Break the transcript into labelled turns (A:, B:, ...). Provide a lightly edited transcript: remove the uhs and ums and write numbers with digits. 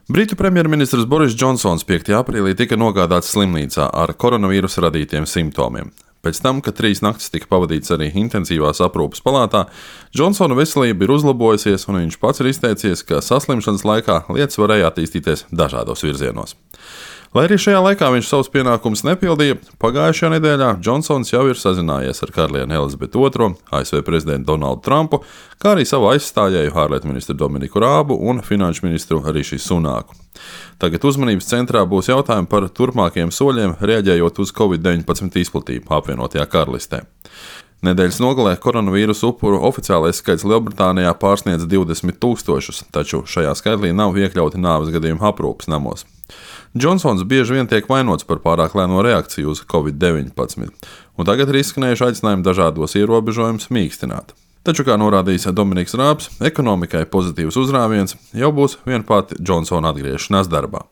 A: Britu premjerministrs Boris Džonsons 5. aprīlī tika nogādāts slimnīcā ar koronavīrusa radītiem simptomiem. Pēc tam, kad 3 naktis tika pavadīts arī intensīvās aprūpes palātā, Džonsona veselība ir uzlabojusies, un viņš pats ir izteicies, ka saslimšanas laikā lietas varēja attīstīties dažādos virzienos. Lai arī šajā laikā viņš savus pienākumus nepildīja, pagājušajā nedēļā Džonsons jau ir sazinājies ar karalieni Elizabeti II, ASV prezidentu Donaldu Trumpu, kā arī savu aizstājēju ārlietu ministru Dominiku Rābu un finanšu ministru Riši Sunāku. Tagad uzmanības centrā būs jautājumi par turpmākajiem soļiem, reaģējot uz Covid-19 izplatību apvienotajā karalistē. Nedēļas nogalē koronavīrusa upuru oficiālais skaits Lielbritānijā pārsniedz 20 000, taču šajā skaitlī nav iekļauti nāves gadījumu aprūpes namos. Džonsons bieži vien tiek vainots par pārāk lēno reakciju uz Covid-19, un tagad ir izskanējuši aicinājumi dažādos ierobežojumus mīkstināt. Taču, kā norādījis Dominiks Rābs, ekonomikai pozitīvs uzrāviens jau būs vien pati Džonsona atgriešanās darbā.